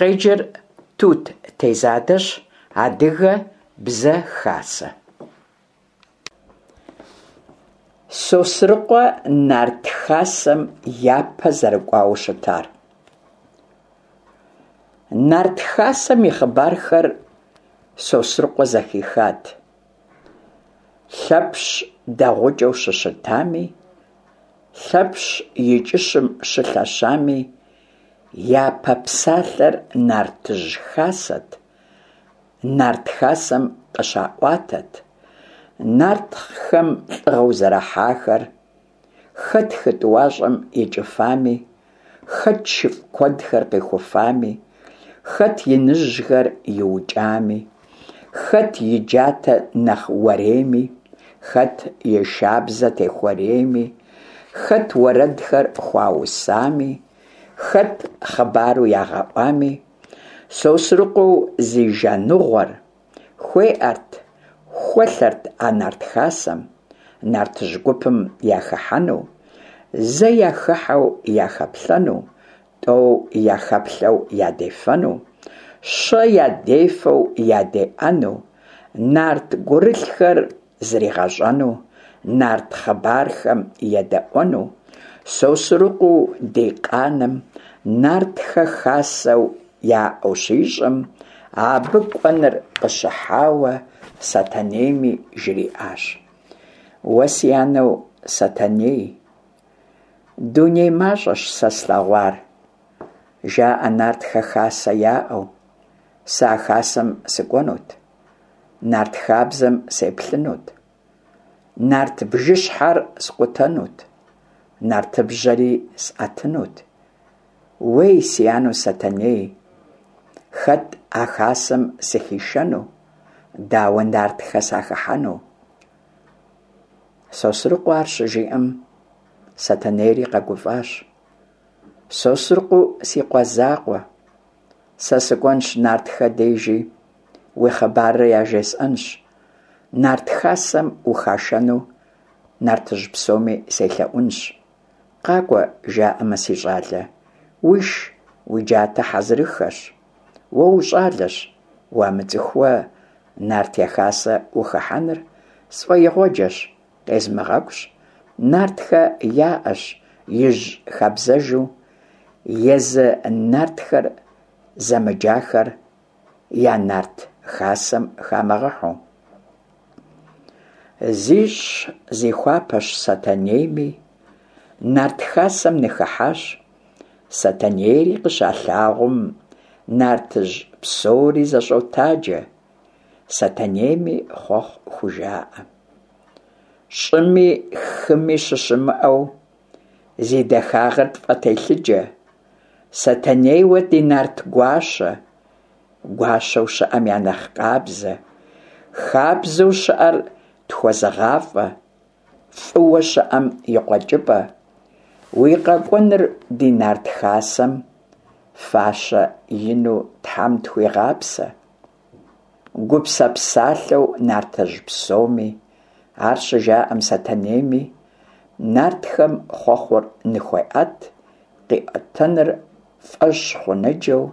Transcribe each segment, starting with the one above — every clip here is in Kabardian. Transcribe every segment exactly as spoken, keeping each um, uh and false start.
Къеджэр Тут Тезадэщ. Адыгэ Бзэ Хасэ. Сосрыкъуэ нарт хасэм япэ зэрыкӏуауэ щытар. Нарт хасэм и хъыбархэр Сосрыкъуэ зэхихат. Лъэпщ дэгъукӏэу щыщытами, Лъэпщ и кӏыщым щылъэщами, япэ псалъэр нартыжь хасэт, нарт хасэм къыщаӏуатэт, нартхэм лӏыгъэу зэрахьахэр, хэт хы тӏуащӏэм икӏыфами, хэт шыфӏ куэдхэр къихуфами, хэт иныжьхэр иукӏами, хэт и джатэ нэхъ уэрейми, хэт и шабзэ техуэрейми, хэт уэрэдхэр хуаусами, хэт хъыбару ягъэӏуами, Сосрыкъуэу зи жаныгъуэр хуеӏэрт, хуэлъэрт а нарт хасэм, нартыжь гупым яхыхьэну, зэ яхыхьэу яхэплъэну, тӏэу яхэплъэу ядефэну, щэ ядефэу ядеӏэну, нарт гурылъхэр зригъэщӏэну, нарт хъыбархэм едэӏуэну. Сосрыкъуэу ди къаным нартхэ хасэу яӏэу щищӏым, абы кӏуэныр къыщыхьауэ Сэтэнейми жриӏащ: Уэ си анэу Сэтэней, дуней мащӏэщ сэ слъэгъуар, жаӏэ нартхэ хасэ яӏэу, сэ а хасэм сыкӏуэнут, нарт хабзэм сеплъынут, нарт бжыщхьэр скъутэнут, нартыбжьэри сӏэтынут. Уей, си анэу Сэтэней, хэт а хасэм сыхишэну, дауэ нартхэ сахыхьэну? Сосрыкъуэ ар щыжиӏэм, Сэтэнейри къэгуфӏащ. Сосрыкъуэу си къуэ закъуэ, сэ сыкӏуэнщ нартхэ дежи, уи хъыбарыр яжесӏэнщ, нарт хасэм ухашэну нартыжь псоми селъэӏунщ. Къакӏуэ жаӏэмэ, си щӏалэ, уиш, уи джатэ хьэзырыххэщ. Уэ ущӏалэщ, уамыцӏыхууэ нарт я хасэ ухыхьэныр сфӏэигъуэджэщ, къезмыгъэкӏущ. Нартхэ яӏэщ ижь хабзэжу, езы нартхэр зэмыджахэр я нарт хасэм хамыгъэхьэу. Зищӏщ, зихуапэщ Сэтэнейми, нарт хасэм ныхыхьащ. Сэтэнейри къыщалъагъум, нартыжь псори зэщӏотаджэ, Сэтэнейми хъуэхъу хужаӏэ. Щӏыми хыми щыщымыӏэу, зи дахагъэр тфӏэтелъыджэ, Сэтэнейуэ ди нарт гуащэ, гуащэу щыӏэм я нэхъ къабзэ, хабзэу щыӏэр тхуэзыгъафӏэ, фӏыуэ щыӏэм и къуэкӏыпӏэ, уи къэкӏуэныр ди нарт хасэм фащэ ину Тхьэм тхуигъапсэ. Гупсэ псалъэу нартыжь псоми, ар щыжаӏэм Сэтэнейми, нартхэм хъуэхъур ныхуеӏэт, къиӏуэтэныр фӏэщ хъуныджэу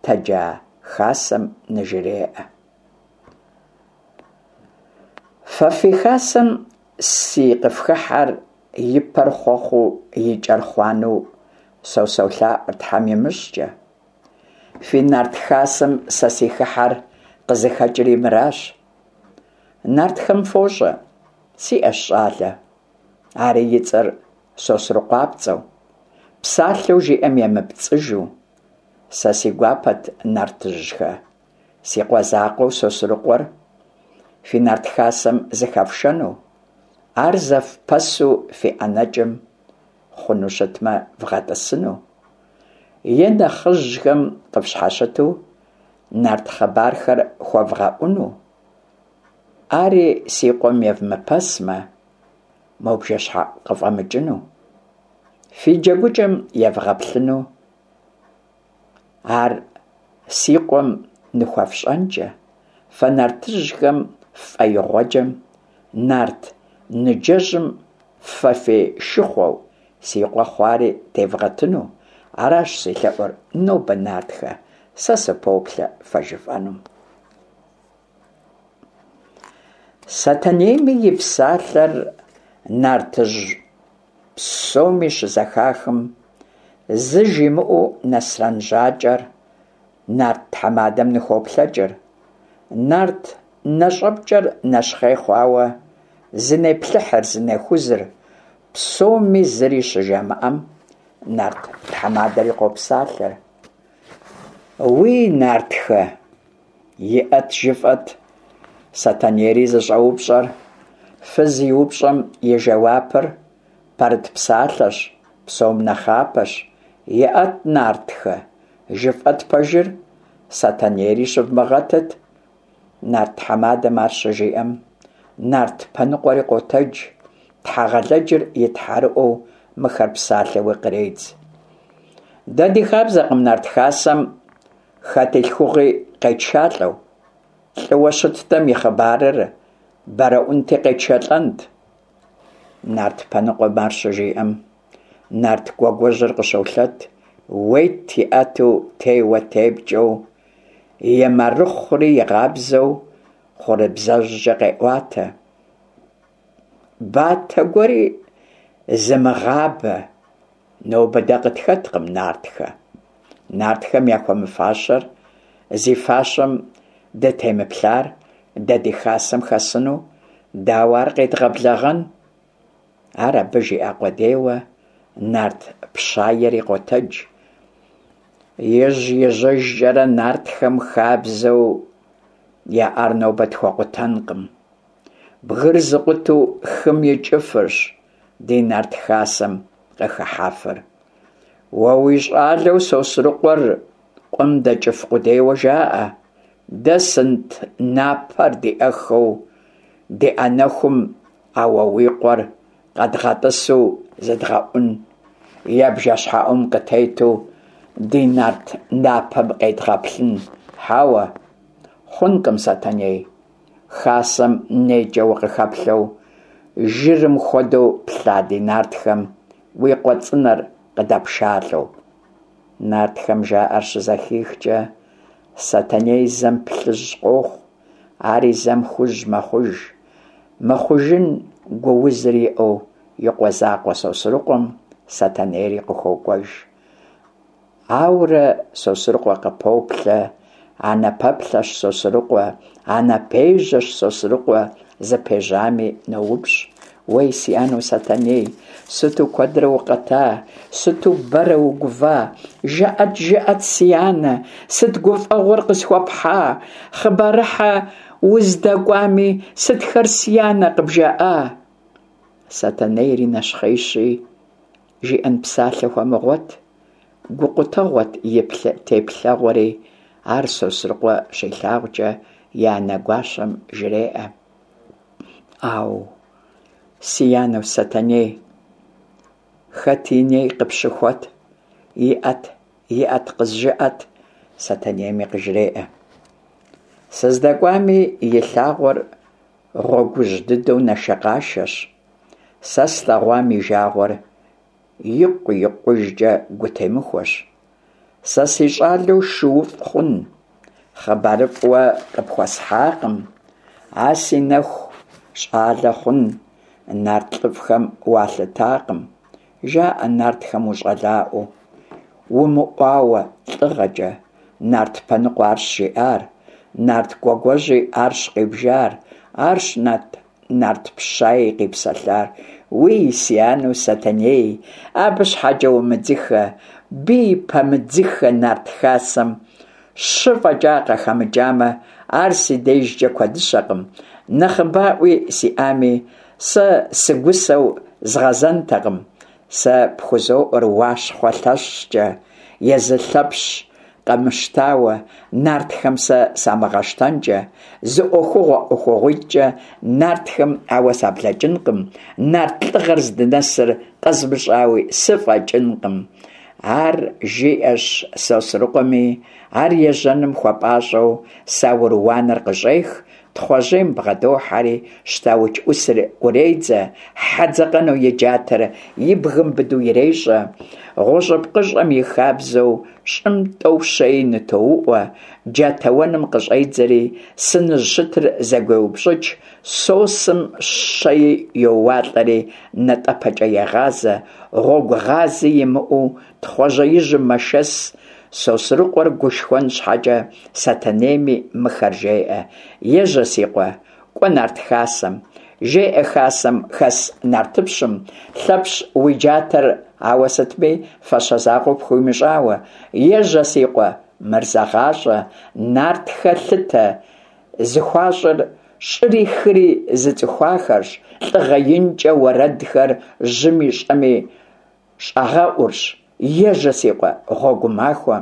тэджа хасэм ныжреӏэ. Фэ фи хасэм си къыфхыхьэр и пэр хъуэхъуу и кӏэр хъуанэу сэ солъаӏуэр Тхьэм имыщӏкӏэ. Фи нарт хасэм сэ си хыхьэр къызыхэкӏри мыращ. Нартхэм фощӏэ, сиӏэщ щӏалэ, ари и цӏэр Сосрыкъуапцӏэу, псалъэу жиӏэм емыпцӏыжу. Сэ си гуапэт, нартыжьхэ, си къуэ закъуэу Сосрыкъуэр фи нарт хасэм зыхэфшэну, ар зэфпэсу фи ӏэнэкӏым хъуну щытмэ вгъэтӏысыну, е нэхъыжьхэм къыфщхьэщыту нарт хъыбархэр хуэвгъэӏуну. Ари си къуэм евмыпэсмэ, мо бжэщхьэӏу къыфӏэмыкӏыну, фи джэгукӏэм евгъэплъыну, ар си къуэм ныхуэфщӏэнкӏэ, фэ нартыжьхэм ффӏэигъуэджэм, нарт ныджэжьым фэ фешыхъуэу си къуэ хъуари тевгъэтыну. Аращ си лъэӏур нобэ, нартхэ, Сэ сыпоплъэ фэ жыфӏэнум. Сэтэнейми и псалъэр нартыжь псоми щызэхахым, зы жимыӏэу Нэсрэн Жьакӏэр нарт тхьэмадэм ныхуоплъэкӏыр. Нарт нэщӏэпкӏэр нэщхъей хъуауэ, зынеплъыхьыр, зынехузыр, псоми зыри щыжамыӏэм, нарт тхьэмадэри къопсалъэр. Уи нартхэ, иӏэт жыфӏэт, Сэтэнейри зыщӏэупщӏэр, фыз и упщӏэм и жэуапыр пэрыт псалъэщ, псом нэхъапэщ. Иӏэт, нартхэ, жыфӏэт пэжыр, Сэтэнейри щывмыгъэтыт. Нарт тхьэмадэм ар щыжиӏэм, нарт Пэныкъуэри къотэдж, Тхьэгъэлэджыр и тхьэрыӏуэу мыхэр псалъэуи къредз. Дэ ди хабзэкъым нарт хасэм хэт и лъхугъи къетшалӏэу. Лӏыуэ щыттэм и хъыбарыр бэрэӏунти къетшэлӏэнт. Нарт Пэныкъуэм ар щыжиӏэм, нарт Гуэгуэжьыр къыщолъэт, ует иӏэту теуэ-тепкӏэу, и марыхъури игъабзэу хъурыбзэжькӏэ къеӏуатэ. Батэ гуэри зымыгъабэ нобэ дэ къытхэткъым нартхэ. Нартхэм яхуэмыфащэр зи фащэм дытемыплъар дэ ди хасэм хэсыну, дауэ ар къедгъэблэгъэн? Ар абы жиӏа къудейуэ, нарт пщаери къотэдж. Ижь-ижьыжкӏэрэ нартхэм хабзэу яӏар нобэ тхуэкъутэнкъым. Бгыр зыкъутэу хым икӏыфырщ ди нарт хасэм къыхыхьэфыр. Уэ уи щӏалэу Сосрыкъуэр къум дэкӏыф къудейуэ жаӏэ. Дэ сынт напэр диӏэххэу ди ӏэнэхум а уэ уи къуэр къэдгъэтӏысу зыдгъэӏун, е бжэщхьэӏум къытету ди нарт напэм къедгъэплъын? Хьэуэ, хъункъым, Сэтэней. Хасэм нейкӏэ укъыхэплъэу, жырым хуэдэу плъа ди нартхэм уи къуэ цӏынэр къыдэпшалӏэу. Нартхэм жаӏэр щызэхихкӏэ, Сэтэней зэм плъыжь къохъу, ари зэм хужь мэхъуж. Мыхъужын гуузыр иӏэу и къуэ закъуэ Сосрыкъуэм Сэтэнейри къыхуокӏуэж. Ауэрэ Сосрыкъуэ къыпоплъэ, анэ пэплъэщ Сосрыкъуэ, анэ пежьэщ Сосрыкъуэ, зыпежьами ноупщӏ. Уей, си анэу Сэтэней, сыту куэдрэ укъэта, сыту бэрэ угува? Жыӏэт, жыӏэт, си анэ, сыт гуфӏэгъуэр къысхуэпхьа? Хъыбарыхьэ уздэкӏуами, сытхэр си анэ къыбжаӏа? Сэтэнейри нэщхъейщи, жиӏэн псалъэ хуэмыгъуэт, гукъутэгъуэт и теплъэгъуэри, ар Сосрыкъуэ щилъагъукӏэ и анэ гуащэм жреӏэ. Ау, си анэу Сэтэней, хэт и ней къыпщыхуэт? Иӏэт, иӏэт, къызжыӏэт, Сэтэнейми къыжреӏэ. Сыздэкӏуами и лъагъуэр гъуэгужь дыдэу нашэкъашэщ. Сэ слъэгъуам и жагъуэр икъу-икъужкӏэ гутемыхуэщ. Сэ си щӏалэу шууфӏ хъун, хъыбарыфӏ уэ къыпхуэсхьакъым. А си нэху щӏалэ хъун, нарт лӏыфӏхэм уалъытакъым. Жаӏэ нартхэм ущӏалэӏуэу, умыӏуауэ лӏыгъэкӏэ. Нарт Пэныкъуэ арщ жиӏар, нарт Гуэгуэжьи арщ къибжар, арщ нарт нарт пщаи къипсэлъар. Уи, си анэу Сэтэней, абы щхьэкӏэ умыдзыхэ, бий пэмыдзыхэ нарт хасэм щы фӏэкӏа къахэмыкӏамэ, ар си дежкӏэ куэдыщэкъым. Нэхъыбаӏуи сиӏами, сэ сыгусэу згъэзэнтэкъым. Сэ пхузоӏуэр Уащхъуэ лъэщкӏэ, езы Лъэпщ къэмыщтауэ, нартхэм сэ самыгъэщтэнкӏэ, зы ӏуэхугъуэ ӏуэхугъуитӏкӏэ нартхэм ауэ саблэкӏынкъым, нарт лӏыгъэр здынэсыр къэзмыщӏауи сыфӏэкӏынкъым. Ар жиӏэщ Сосрыкъуэми, ар ежьэным хуэпӏащӏэу саур уанэр къыщӏех, Тхъуэжьейм бгъэдохьэри, щтауч ӏусыр ӏуредзэ, хьэ дзэкъэну и джатэр и бгым быдэу ирещӏэ, гъущӏыпкъыщӏэм и хабзэу щӏым тӏэу-щэи нытоуӏуэ, джатэуэным къыщӏедзэри, сыныжь щытыр зэгуеупщӏыкӏ, сосым щэи йоуалӏэри натӏэпэкӏэ егъазэ, гъуэгугъази имыӏэу Тхъуэжьеижьым мэшэс. Сосрыкъуэр гушхуэн щхьэкӏэ Сэтэнейми мыхэр жеӏэ: Ежьэ, си къуэ, кӏуэ нарт хасэм. Жеӏэ хасэм хэс нартыпщым: Лъэпщ уи джатэр ауэ сытми фащэ закъуэ пхуимыщӏауэ. Ежьэ, си къуэ, мыр зэгъащӏэ: нартхэ лъытэ зыхуащӏыр щӏыри хыри зыцӏыхуахэрщ, лӏыгъэ инкӏэ уэрэдхэр жьыми щӏэми щӏагъэӏурщ. Ежьэ, си къуэ, гъуэгу махуэ,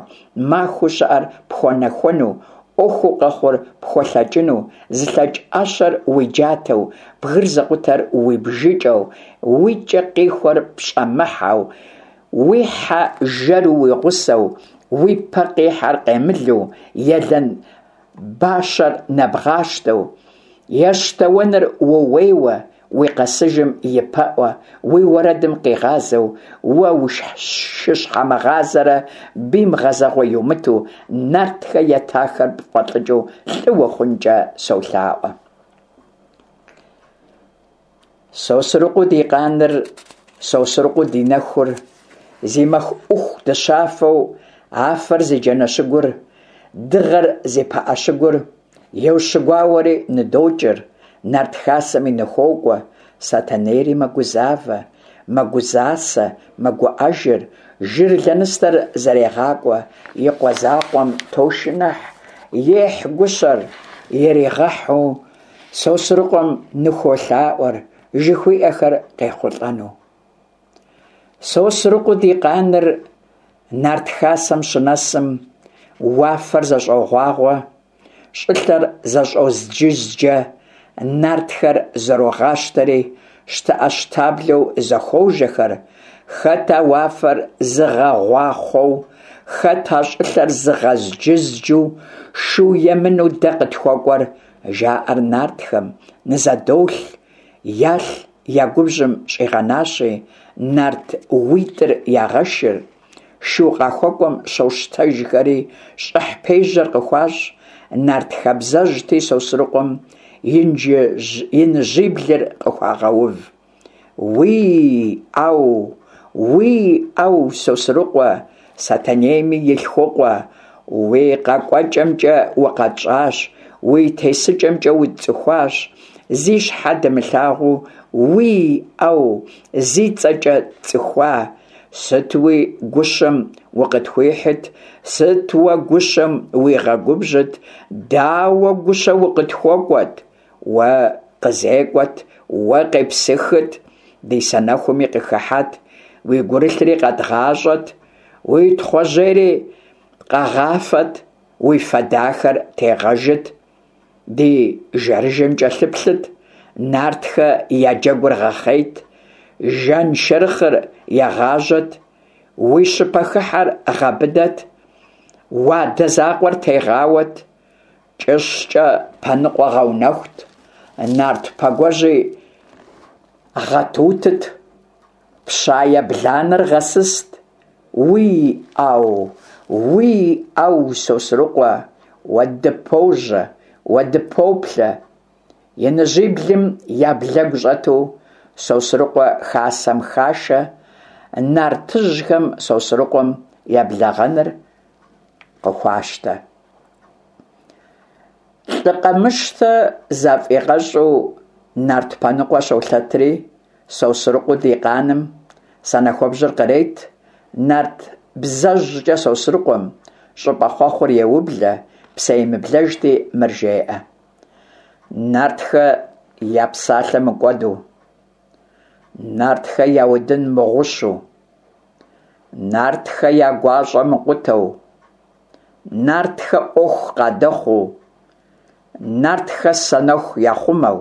махуэу щыӏэр пхуэнэхуэну, ӏуэхуу къэхъур пхуэлъэкӏыну, зылъэкӏ ӏэщэр уи джатэу, бгыр зыкъутэр уи бжыкӏэу, уи кӏэ къихуэр пщӏэмыхьэу, уи хьэ жэру уи гъусэу, уи пэ къихьэр къемылу, елэн бащэр нэбгъащтэу, ещтэуэныр ууейуэ, уи къэсыжым и пэӏуэ, уи уэрэдым къигъазэу, уэ ушыщхьэмыгъазэрэ бийм гъэзэгъуэ иумыту, нартхэ ятахэр пфӏэлӏыкӏыу лӏы ухъункӏэ солъаӏуэ. Сосрыкъуэу ди къаныр, Сосрыкъуэу ди нэхур, зи мэху ӏуху дыщафэу афэр зи джанэщыгур, дыгъэр зи пыӏэщыгур, еущыгуауэри ныдокӏыр, нарт хасэми ныхуокӏуэ. Сэтэнейри мэгузавэ, мэгузасэ, мэгуӏэжыр, жыр лэныстэр зэрегъакӏуэ, и къуэ закъуэм тошыныхь, ехь гущэр иригъэхьу Сосрыкъуэм ныхуолъаӏуэр, жыхуиӏэхэр къехъулӏэну. Сосрыкъуэу ди къаныр нарт хасэм щынэсым, уафэр зэщӏогъуагъуэ, щӏылъэр зэщӏозджызджэ, нартхэр зэрогъащтэри, щтэӏэщтаблэу зэхуожэхэр. Хэт а уафэр зыгъэгъуахъуэу, хэт а щӏылъэр зыгъэзджызджу шу емынэу дэ къытхуэкӏуэр, жаӏэр нартхэм, нызэдолъ, ялъ я губжьым щӏигъэнащи, нарт уитӏыр ягъэшыр, шу къахуэкӏуэм щощтэжхэри, щӏыхь пежьэр къыхуащӏ. Нарт хабзэжьти, Сосрыкъуэм иныжьиблыр къыхуагъэув. Уий-ӏэу, уий-ӏэу, Сосрыкъуэ, Сэтэнейми и лъхукъуэ, уи къэкӏуэкӏэмкӏэ укъэтщӏащ, уи тесыкӏэмкӏэ утцӏыхуащ, зи щхьэ дымылъагъуу, уий-ӏэу, зи цӏэкӏэ тцӏыхуа, сытуи гущэм укъытхуихьыт, сыт уэ гущэм уигъэгубжьыт, дауэ гущэ укъытхуэкӏуэт, уэ къызекӏуэт, уэ къепсыхыт, ди санэхуми къыхыхьэт, уи гурылъри къэдгъащӏэт, уи Тхъуэжьейри къэгъафэт, уи фэ дахэр тегъэжыт, ди жэрыжэм кӏэлъыплъыт, нартхэ я джэгур гъэхъейт, жаншэрыхъыр егъажьэт, уи щыпэхыхьэр гъэбыдэт, уадэ закъуэр тегъауэт, кӏыщкӏэ пэныкъуэ гъэунэхут, нарт пэгуэжьи гъэтутыт, пщае бланэр гъэсыст. Уий-ӏэу, уий-ӏэу, Сосрыкъуэ, уэ дыпожьэ, уэ дыпоплъэ. Иныжьиблым я блэгу щӏэту Сосрыкъуэ хасэм хашэ, нартыжьхэм Сосрыкъуэм еблэгъэныр къыхуащтэ. Лӏы къэмыщтэ зафӏигъэщӏу нарт Пэныкъуэ щолъэтри, Сосрыкъуэу ди къаным санэхуэбжьэр кърет, нарт бзэжькӏэ Сосрыкъуэм щӏыпӏэ хъуэхъур еублэ, псэемыблэжти мыр жеӏэ: Нартхэ я псалъэ мыкӏуэду, нартхэ я удын мыгъущу, нартхэ я гуащӏэ мыкъутэу, нартхэ ӏуэху къадэхъуу, нартхэ санэху яхъумэу,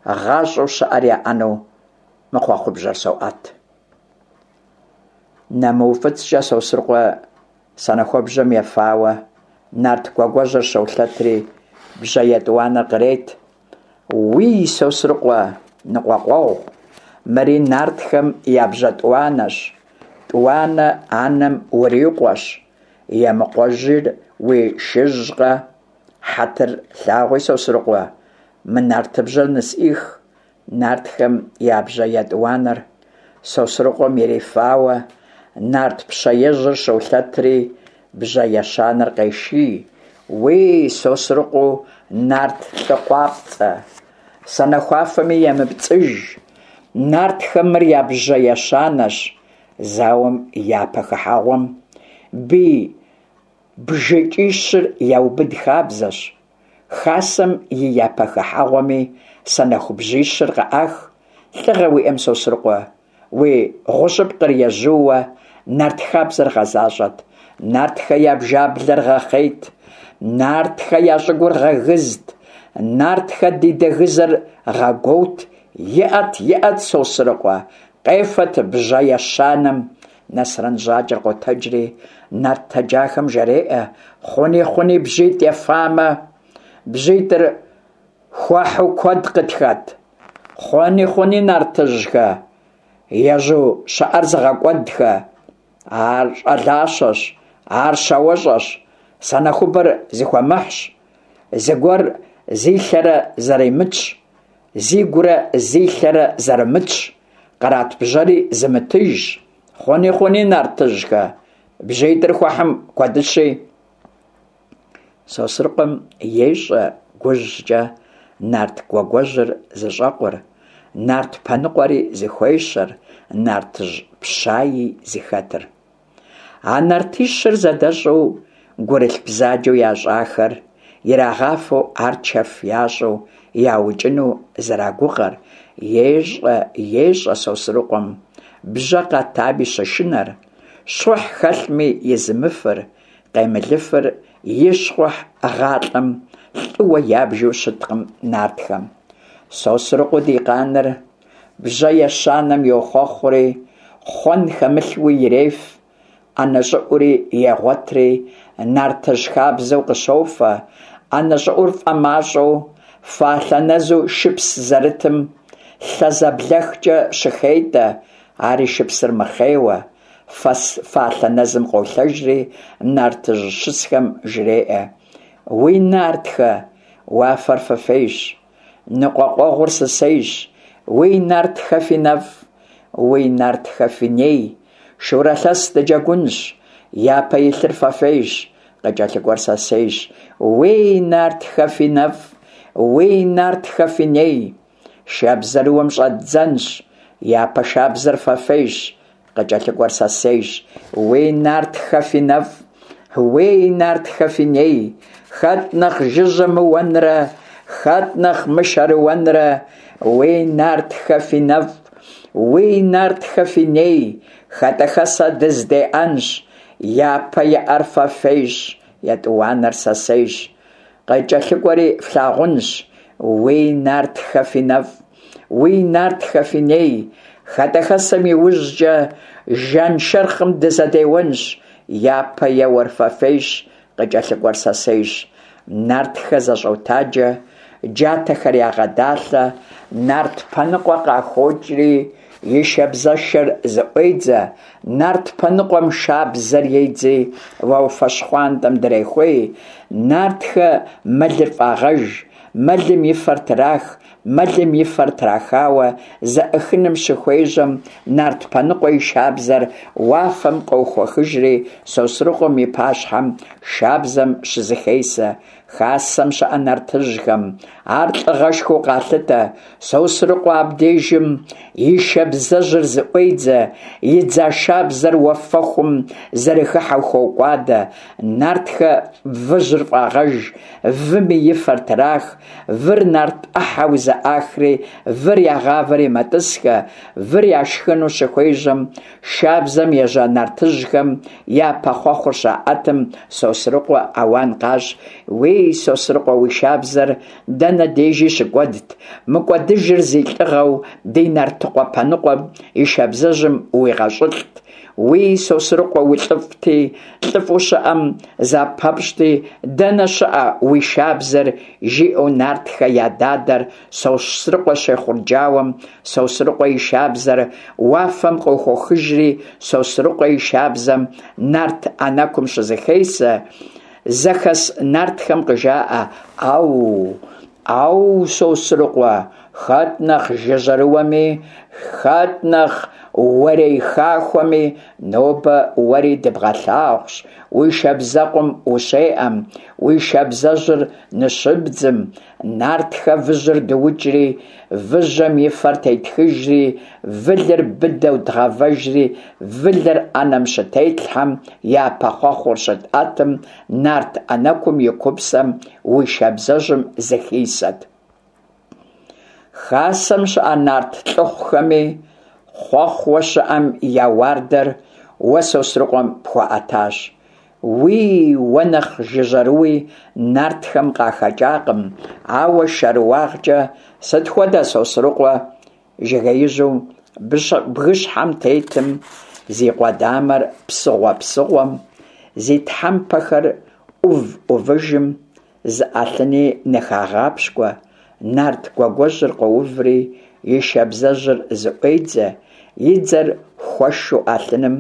гъащӏэу щыӏэр яӏэну мы хъуэхъубжьэр соӏэт. НэмыуфӏыцӀкӏэ Сосрыкъуэ санэхуэбжьэм ефауэ, нарт гуагуэжьыр щолъэтри, бжьэ етӏуанэр кърет. Уий, Сосрыкъуэ ныкъуэкъуэгъу, мыри нартхэм я бжьэ тӏуанэщ, тӏуанэ анэм урикъуэщ, Емыкъуэжьыр уи шыжькъэ, хьэтыр лъагъуи, Сосрыкъуэ, мы нартыбжьэр нысӏих. Нартхэм я бжьэ етӏуанэр Сосрыкъуэм ирифауэ, нарт пщэежьыр щолъэтри бжьэ ещанэр къеший. Уий, Сосрыкъуэу нарт лӏы къуапцӏэ, санэхуафэми емыпцӏыж, нартхэм мыр я бжьэ ещанэщ. Зауэм и япэ хыхьэгъуэм бий бжыкӏищыр яубыд хабзэщ. Хасэм и япэ хыхьэгъуэми санэхубжьищыр къыӏах. Лӏыгъэ уиӏэм, Сосрыкъуэ, уи гъущӏыпкъыр ежьууэ нарт хабзэр гъэзащӏэт, нартхэ я бжаблэр гъэхъейт, нартхэ я щӏыгур гъэгызт, нартхэ ди дэгызэр гъэгуоут. Иӏэт, иӏэт, Сосрыкъуэ, къефэт бжьэ ещанэм. Насрэн Жьакӏэр къотэджри нарт тэджахэм жареӏэ: Хъуни, хъуни, бжьитӏ ефамэ, бжьитӏыр хуэхьу куэд къытхэт. Хъуни, хъуни, нартыжьхэ, ежьу щыӏэр зыгъэкӏуэдхэ, ар щӏалащэщ, ар щауэщӏэщ, санэхубэр зыхуэмыхьщ, зыгуэр зи лъэрэ зэрымытщ, зигурэ зи лъэрэ зэрымытщ, кърат бжьэри зымытыжщ. Хъуни, хъуни, нартыжьхэ, бжьитӏыр хуэхьым куэдыщи. Сосрыкъуэм ещӏэ гужькӏэ нарт Гуэгуэжьыр зыщӏэкъур, нарт Пэныкъуэри зыхуещэр, нартыжь Пщаи зыхэтыр. А нартищыр зэдэщӏу гурылъ бзаджэу ящӏахэр ирагъафэу ар чэф ящӏу яукӏыну зэрагугъэр ещӏэ, ещӏэ Сосрыкъуэм бжьэ къатами щышынэр, щхъухь хэлъми изымыфыр, къемылыфыр и щхъухь гъалӏэм лӏыуэ ябжу щыткъым нартхэм. Сосрыкъуэу ди къаныр бжьэ ещанэм йохъуэхъури, хъуэн хэмылъуи иреф, ӏэнэ щӏыӏури егъуэтри, нартыжь хабзэу къыщофэ. ӏэнэ щӏыӏур фӏэмащӏэу, фалъэ нэзу шыпс зэрытым лъэ зэблэхкӏэ щыхетӏэ, ари шыпсыр мыхъейуэ, фалъэ нэзым къолъэжри, нартыжь щысхэм жреӏэ: Уи нартхэ, уафэр фыфейщ, ныкъуэкъуэгъур сысейщ, уи нартхэ фи нэфӏ, уи нартхэ фи ней, шурэ лъэс дыджэгунщ, япэ илъыр фэфейщ, къыкӏэлъыкӏуэр сэсейщ. Уи нартхэ фи нэфӏ, уи нартхэ фи ней, шабзэрыуэм щӏэддзэнщ, япэ шабзэр фэфейщ, къыкӏэлъыкӏуэр сэсейщ. Уи нартхэ фи нэфӏ, уи нартхэ фи ней, хэт нэхъ жыжьэ мыуэнрэ, хэт нэхъ мышэрыуэнрэ, уи нартхэ фи нэфӏ, уи нартхэ фи ней, хэтӏэхэсэ дыздеӏэнщ, япэ иӏэр фэфейщ, етӏуанэр сэсейщ, къыкӏэлъыкӏуэри флъагъунщ. Уи нартхэ фи нэфӏ, уи нартхэ фи ней, хэтӏэхэсэм иужькӏэ жаншэрхъым дызэдеуэнщ, япэ еуэр фэфейщ, къыкӏэлъыкӏуэр сэсейщ. Нартхэ зэщӏотаджэ, джатэхэр ягъэдалъэ, нарт Пэныкъуэ къахокӏри и шабзэшэр зыӏуедзэ, нарт Пэныкъуэм шабзэр едзри уафэ щхъуантӏэм дрехуей, нартхэ мэлыр фӏагъэж, мэлым и фэр трах, мэлым и фэр трахауэ зэӏыхыным щыхуежьэм, нарт Пэныкъуэ и шабзэр уафэм къохуэхыжри Сосрыкъуэм и пащхьэм шабзэм щызэхесэ. Хасэм щыӏэ нартыжьхэм ар лӏыгъэшхуэу къалъытэ. Сосрыкъуэ абдежым и шабзэжьыр зыӏуедзэ, идза шабзэр уафэхум зэрыхыхьэу хокӏуадэ. Нартхэ выжьыр фӏагъэж, выми и фэр трах, выр нарт ӏыхьэу зэӏахри, выр ягъавэри мэтӏысхэ, выр яшхыну щыхуежьэм, шабзэм ежьа нартыжьхэм япэ хъуэхъур щаӏэтым, Сосрыкъуэ ауан къащӏ: Уей, Сосрыкъуэ, уи шабзэр дэнэ дежи щыкӏуэдт, мыкӏуэдыжыр зи лӏыгъэу ди нартыкъуэ Пэныкъуэм и шабзэжьым уигъэщӏылӏт. Уий, Сосрыкъуэ, улӏыфӏти, лӏыфӏу щыӏэм запэпщӏти, дэнэ щыӏэ уи шабзэр? – жиӏэу нартхэ я дадэр Сосрыкъуэ щехъурджауэм, Сосрыкъуэ и шабзэр уафэм къохуэхыжри Сосрыкъуэ и шабзэм нарт ӏэнэкум щызэхесэ. Зэхэс нартхэм къыжаӏэ: «Ӏэу! Ӏэу, Сосрыкъуэ, хэт нэхъ жыжьэрыуэми, хэт нэхъ уэрей хахуэми, нобэ уэри дыбгъэлъагъущ, уи шабзэкъум ущеӏэм, уи шабзэжьыр ныщыбдзым, нартхэ выжьыр дыукӏри, выжьым и фэр тетхыжри, вылыр быдэу дгъэвэжри, вылыр ӏэнэм щытетлъхьэм, япэ хъуэхъур щытӏэтым, нарт ӏэнэкум и купсэм уи шабзэжьым зыхисэт. Хасэм щыӏэ нарт лӏыхъухэми хъуэхъууэ щыӏэм я уардэр уэ Сосрыкъуэм пхуаӏэтащ. Уий, уэ нэхъ жыжьэрыуи нартхэм къахэкӏакъым, ауэ шэрыуагъкӏэ сыт хуэдэ Сосрыкъуэ? Жыгеижьу бгыщхьэм тетым, зи къудамэр псыгъуэ-псыгъуэм, зи тхьэмпэхэр ӏув-ӏувыжым зы ӏэлъыни ныхагъапщкӏуэ. Нарт Гуэгуэжьыр къоуври и шабзэжьыр зыӏуедзэ, и дзэр хуэшу ӏэлъыным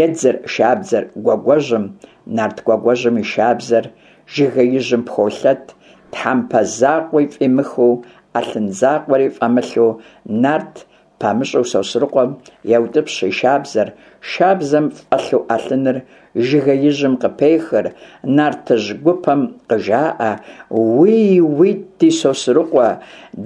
едзыр шабзэр Гуэгуэжьым, нарт Гуэгуэжьым и шабзэр жыгеижьым пхолъэт, тхьэмпэ закъуи фӏимыхыу, ӏэлъын закъуэри фӏэмылъу нарт памыщӏу Сосрыкъуэм еутӏыпщ и шабзэр, шабзэм фӏэлъу ӏэлъыныр жыгеижьым къыпехыр, нартыжь гупэм къыжаӏэ: «Уий, уитӏ, ди Сосрыкъуэ,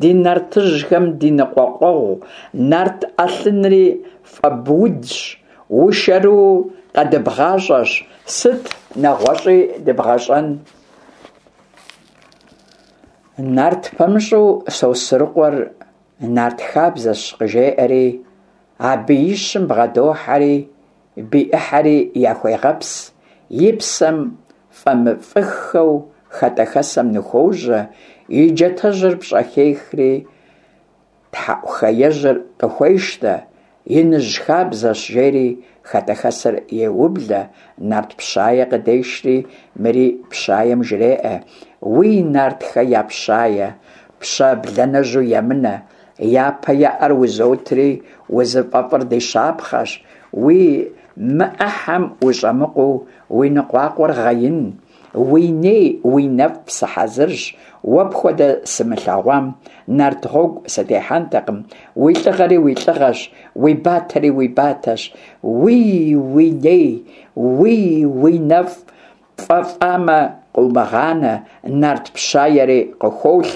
ди нартыжьхэм ди ныкъуэкъуэгъу, нарт ӏэлъынри фӏэбудщ, ушэрыуэу къэдыбгъащӏэщ, сыт нэгъуэщӏи дыбгъэщӏэн?» Нарт пэмыщӏу Сосрыкъуэр нарт хабзэщ къыжеӏэри, а биищым бгъэдохьэри бий ӏыхьэри яхуегъэпс, и псэм фӏэмыфӏыххэу хэтӏэхэсэм ныхуожьэ, и джатэжьыр пщӏэхехри тхьэӏухеежьыр къыхуещтэ, иныжь хабзэщ жери хэтӏэхэсэр еублэ, нарт пщае къыдешри мыри пщаем жреӏэ: «Уий, нартхэ я пщае, пщэ бланэжьу емынэ, япэ еӏэр узотри, узыфӏэфӏыр ди щапхъэщ, уи мыӏыхьэм ущӏэмыкъуу уи ныкъуакъуэр гъэин, уи ней уи нэфӏ сыхьэзырщ, уэ пхуэдэ сымылъэгъуам нарт гъуэгу сытехьэнтэкъым, уи лӏыгъэри уи лӏыгъэщ, уи батэри уи батэщ, уий, уи ней, уий, уи нэфӏ пфӏэфӏамэ къыумыгъанэ», нарт пщаери къыхуолъ,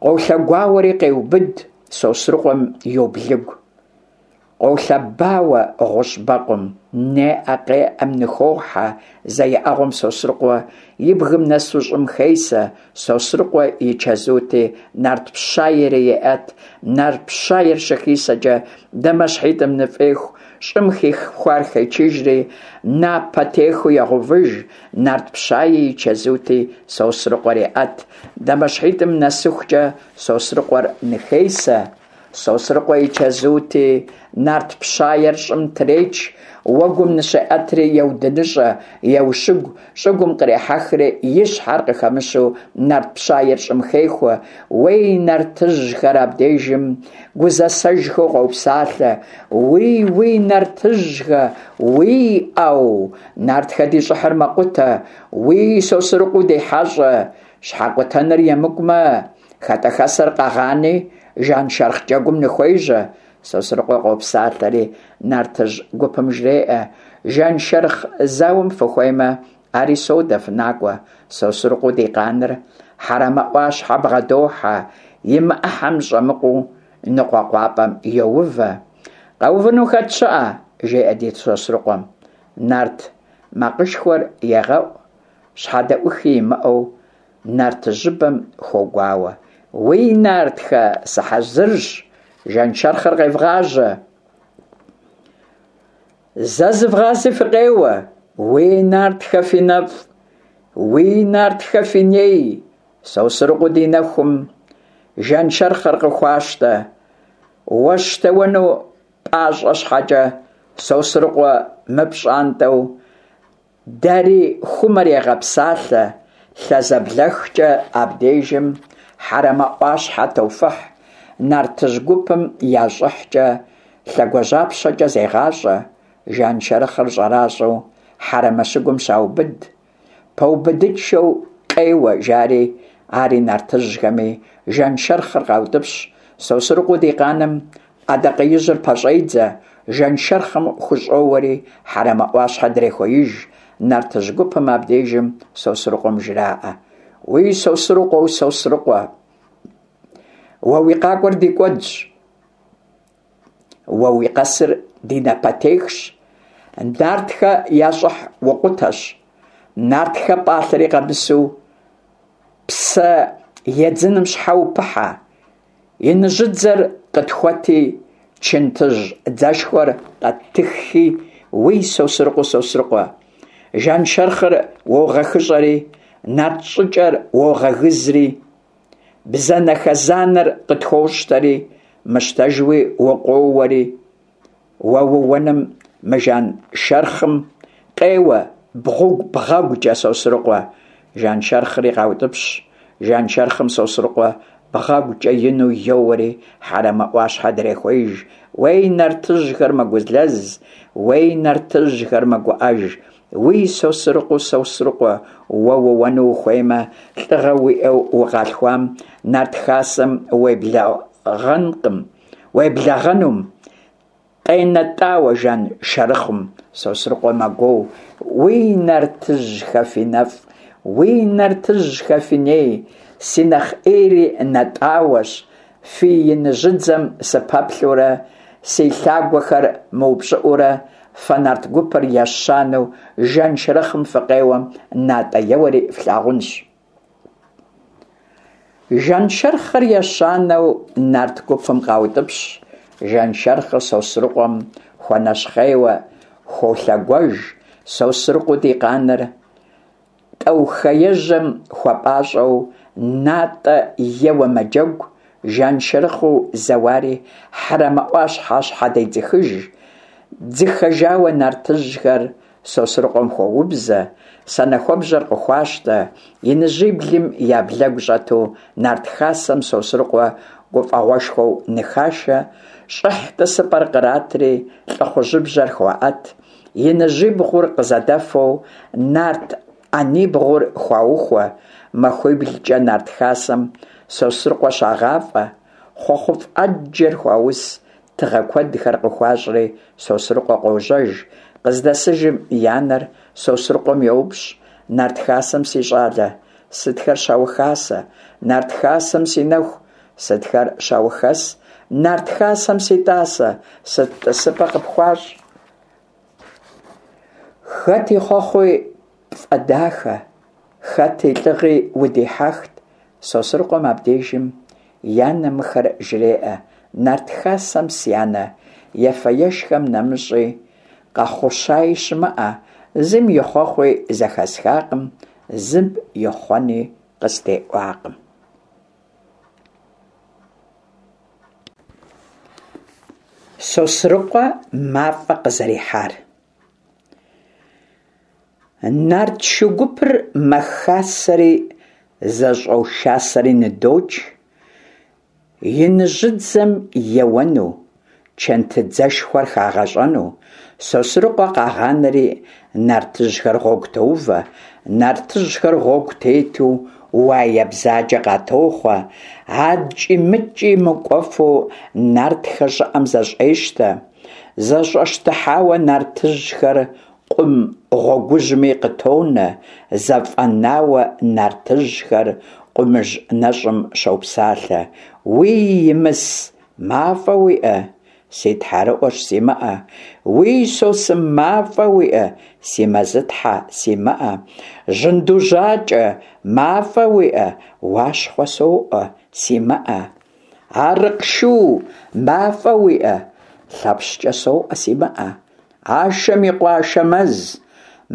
къолъэгуауэри къеубыд, Сосрыкъуэм йоблыгу. Къолъэбауэ гъущӏ бэкъум, неӏэ-къеӏэм ныхохьэ, зэ еӏэгъуэм Сосрыкъуэ и бгым нэсу щӏым хесэ. Сосрыкъуэ и чэзути, нарт пщаери еӏэт, нарт пщаер щыхисэкӏэ, дамэщхьитӏым ныфӏеху, щӏым хихуар хечыжри, напэтехыу егъэувыж, нарт пщае и чэзути, Сосрыкъуэр еӏэт, дамэщхьитӏым нэсыхукӏэ Сосрыкъуэр ныхесэ. Сосрыкъуэ и чэзути, нарт пщаер щӏым треч, уэгум ныщеӏэтри еудыныщӏэ, еущыгу, щӏыгум кърехьэхри и щхьэр къыхэмыщу нарт пщаер щӏым хехуэ. Уей, нартыжьхэр абдежым гузэсэжхэу къопсалъэ: «Уий, уий, нартыжьхэ, уий, ӏэу, нартхэ ди щӏыхьыр мэкъутэ, уий, Сосрыкъуэу ди хьэщӏэ, щхьэкъутэныр емыкӏумэ, хэтӏэхэсэр къэгъани, жаншэрхъ джэгум ныхуежьэ». Сосрыкъуэ къопсалъэри нартыжь гупым жреӏэ: «Жаншэрхъ зауэм фыхуеймэ, ари содэ, фынакӏуэ». Сосрыкъуэу ди къаныр Хьэрэмэ ӏуащхьэ бгъэдохьэ, и мыӏыхьэм щӏэмыкъуу ныкъуэкъуапӏэм йоувэ. «Къэувыну хэт щыӏэ?» жеӏэ ди Сосрыкъуэм. Нарт макъышхуэр егъэӏу, щхьэдэӏухи имыӏэу нартыжьыбэм хуогуауэ: «Уий, нартхэ, сыхьэзырщ, жаншэрхъыр къевгъажьэ! Зэ зывгъази фыкъеуэ! Уий, нартхэ фи нэфӏ, уий, нартхэ фи ней!» Сосрыкъуэу ди нэхум жаншэрхъыр къыхуащтэ, уэщтэуэну пӏащӏэ щхьэкӏэ, Сосрыкъуэ мыпщӏантӏэу дэри хумэр егъэпсалъэ, лъэзэблэхкӏэ абдежым Хьэрэмэ ӏуащхьэ тофыхь, нартыжь гупым я щӏыхькӏэ лъэгуажьапщэкӏэ зегъащӏэ, жаншэрхъыр щӏэращӏэу Хьэрэмэ щыгум щаубыд, пэубыдыншэу къеуэ жари, ари нартыжьхэми жаншэрхъыр къаутӏыпщ. Сосрыкъуэу ди къаным ӏэдакъэижьыр пэщӏедзэ, жаншэрхъым хущӏоуэри Хьэрэмэ ӏуащхьэ дрехуеиж. Нартыжь гупым абдежым Сосрыкъуэм жраӏэ: Уи Сосрыкъуэу Сосрыкъуэ, уэ уи къакӏуэр ди кӏуэдщ, уэ уи къэсыр ди напэтехщ, нартхэ я щӏыхь укъутэщ, нартхэ пӏалъэри къэмысу псэ едзыным щхьэ упыхьэ, иныжьыдзэр къытхуэти, чынтыжь дзэшхуэр къэттыххи, уи Сосрыкъуэу Сосрыкъуэ, жаншэрхъыр уогъэхыщӏэри, нарт щӏыкӏэр уогъэгызри, бзэнэхэзанэр къытхуощтэри, мыщтэжуи укъоуэри, уэ ууэным мы жаншэрхъым къеуэ бгъэгукӏэ, Сосрыкъуэ. Жаншэрхъри къаутӏыпщ. Жаншэрхъым Сосрыкъуэ бгъэгукӏэ ину йоуэри Хьэрэмэ ӏуащхьэ дрехуеиж. Уей, нартыжьхэр мэгузлэз, уей, нартыжьхэр мэгуӏэж. Уи Сосрыкъуэу Сосрыкъуэ, уэ ууэну ухуеймэ, лӏыгъэ уиӏэу укъалъхуам, нарт хасэм уеблэгъэнкъым, уеблэгъэнум, къенэтӏауэ жаншэрхъым. Сосрыкъуэ мэгуоу: Уи нартыжьхэ фи нэфӏ, уи нартыжьхэ фи ней, си нэхъ ӏейри нэтӏауэщ, фи иныжьыдзэм сыпэплъэурэ, си лъагуэхэр мыупщӏыӏуурэ, фэ нарт гупыр ещанэу жаншэрхъым фыкъеуэм, натӏэ еуэри флъагъунщ. Жаншэрхъыр ещанэу нарт гупым къаутӏыпщ. Жаншэрхъыр Сосрыкъуэм хуэнэщхъейуэ хуолъэгуэж. Сосрыкъуэу ди къаныр тӏэухэежьэм хуэпӏащӏэу натӏэ еуэ мэджэгу, жаншэрхъыу зэуари Хьэрэмэ ӏуащхьэ щхьэдедзыхыж. Дзыхэжауэ нартыжьхэр Сосрыкъуэм хуоубзэ, санэхуэбжьэр къыхуащтэ, иныжьиблым я блэгу щӏэту нарт хасэм Сосрыкъуэ гуфӏэгъуэшхуэу ныхашэ, щӏыхь тӏысыпӏэр къратри, лӏыхъужьыбжьэр хуаӏэт, иныжьибгъур къызэдэфэу нарт ӏэнибгъур хуаухуэ, махуиблкӏэ нарт хасэм Сосрыкъуэ щагъафӏэ, хъуэхъуфӏ ӏэджэр хуаус, тыгъэ куэдхэр къыхуащӏри Сосрыкъуэ къожьэж. Къыздэсыжым и анэр Сосрыкъуэм йоупщӏ: Нарт хасэм, си щӏалэ, сытхэр щаухасэ? Нарт хасэм, си нэху, сытхэр щаухэс? Нарт хасэм, си тӏасэ, сыт тӏысыпӏэ къыпхуащӏ? Хэт и хъуэхъуи пфӏэдахэ, хэт и лӏыгъи удихьэхт? Сосрыкъуэм абдежым и анэм мыхэр жреӏэ: Нарт хасэм, си анэ, ефэ-ешхэм нэмыщӏи къэхъущаи щымыӏэ, зым и хъуэхъуи зэхэсхакъым, зым и хъуэни къыстеӏуакъым. Сосрыкъуэ мафӏэ къызэрихьар. Нарт шу гупыр мэхасэри зэщӏошасэри ныдокӏ, иныжьыдзэм еуэну, чынтыдзэшхуэр хагъэщӏэну. Сосрыкъуэ къагъанэри нартыжьхэр гъуэгу тоувэ. Нартыжьхэр гъуэгу тету уае бзаджэ къатохъуэ, адкӏи-мыткӏи мыкӏуэфу нартхэр щӏыӏэм зэщӏещтэ. Зэщӏэщтыхьауэ нартыжьхэр къум гъуэгужьми къытонэ, зэфӏэнауэ нартыжьхэр къумыжь нэщӏым щопсалъэ: Уи Имыс, мафӏэ уиӏэ? Си тхьэрыӏуэщ, симыӏэ. Уи Сосым, мафӏэ уиӏэ? Си Мэзытхьэ, симыӏэ. Жьынду жьакӏэ, мафӏэ уиӏэ? Уащхъуэ соӏуэ, симыӏэ. Арыкъ шу, мафӏэ уиӏэ? Лъэпщкӏэ соӏуэ, симыӏэ. Ашэм и къуэ Ашэмэз,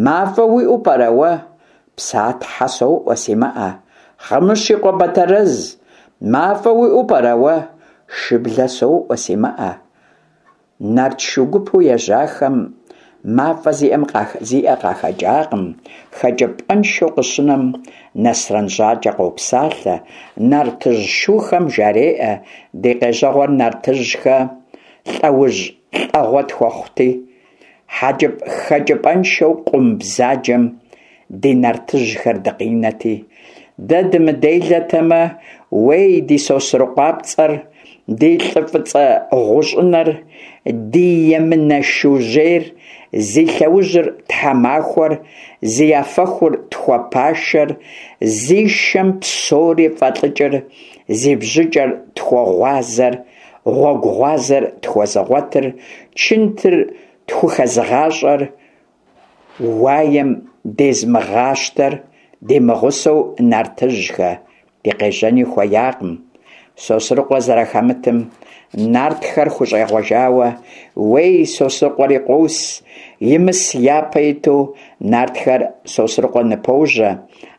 мафӏэ уиӏэу пӏэрэ уэ? Псатхьэ соӏуэ, симыӏэ. Хъымыщ и къуэ Батэрэз, мафӏэ уиӏэу пӏэрэ уэ? Шыблэ соӏуэ, симыӏэ. Нарт шу гупу ежьахэм мафӀэ зиӀэм зиӀэ къахэкӀакъым. ХэкӀыпӀэншэу къыщынэм, Нэсрэн ЖьакӀэ къопсалъэ, нартыжь шухэм жареӀэ: «Ди къежьэгъуэр, нартыжьхэ, лӀэужь лӀэгъуэ тхуэхъути, хэкӀыпӀэншэу къум бзаджэм ди нартыжьхэр дыкъинэти, дэ дымыделэтэмэ, уей, ди СосрыкъуапцӀэр, ди лӀы фӀыцӀэ гъущӀынэр, ди емынэ Шужьейр, зи лъэужьыр тхьэмахуэр, зи афэхур тхуэпашэр, зи шэм псори фӀэлӀыкӀыр, зи бжьыкӀэр тхуэгъуазэр, гъуэгу гъуазэр тхуэзыгъуэтыр, чынтыр тхухэзыгъащӀэр, уаем дезымыгъащтэр димыгъусэу, нартыжьхэ, дыкъежьэни хуеякъым». Сосрыкъуэ зэрахэмытым нартхэр хущӀегъуэжауэ, уей, Сосрыкъуэри къос, Имыс япэ иту нартхэр Сосрыкъуэ ныпожьэ.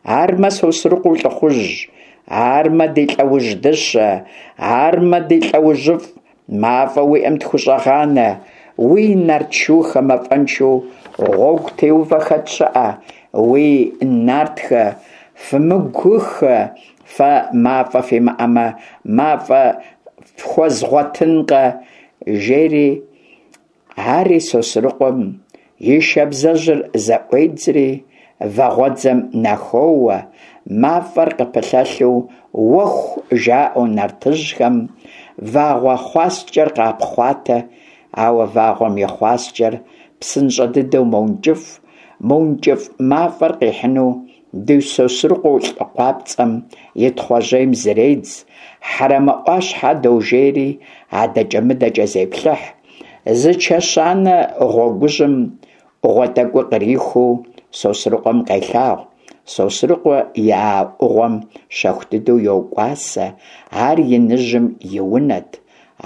«Армэ, Сосрыкъуэу лӀыхъужь, армэ, ди лӀэужь дыщэ, армэ, ди лӀэужьыфӀ, мафӀэ уиӀэм тхущӀэгъанэ, уи нарт шухэ мафӀэншэу гъуэгу теувэ хэт щыӀэ, уи нартхэ, фымыгухэ, фэ мафӀэ фимыӀэмэ, мафӀэ фхуэзгъуэтынкъэ», – жери. Ари Сосрыкъуэм и шабзэжьыр зэӀуедзри вагъуэдзэм нахоуэ, мафӀэр къыпылъэлъу «уэху» жаӀэу нартыжьхэм вагъуэ хъуаскӀэр къапхъуатэ, ауэ вагъуэм и хъуаскӀэр псынщӀэ дыдэу мэункӀыфӀ, мыункӀыфӀ мафӀэр къихьыну ди Сосрыкъуэу лӀы къуапцӀэм и Тхъуэжьейм зредз, Хьэрэмэ Ӏуащхьэ дожейри адэкӀэ-мыдэкӀэ зеплъыхь, зы чэщанэ гъуэгужьым Ӏугъуэ тӀэкӀуи кърихуу Сосрыкъуэм къелъагъу. Сосрыкъуэ и а Ӏугъуэм щэху дыдэу йокӀуасэ, ар иныжьым и унэт,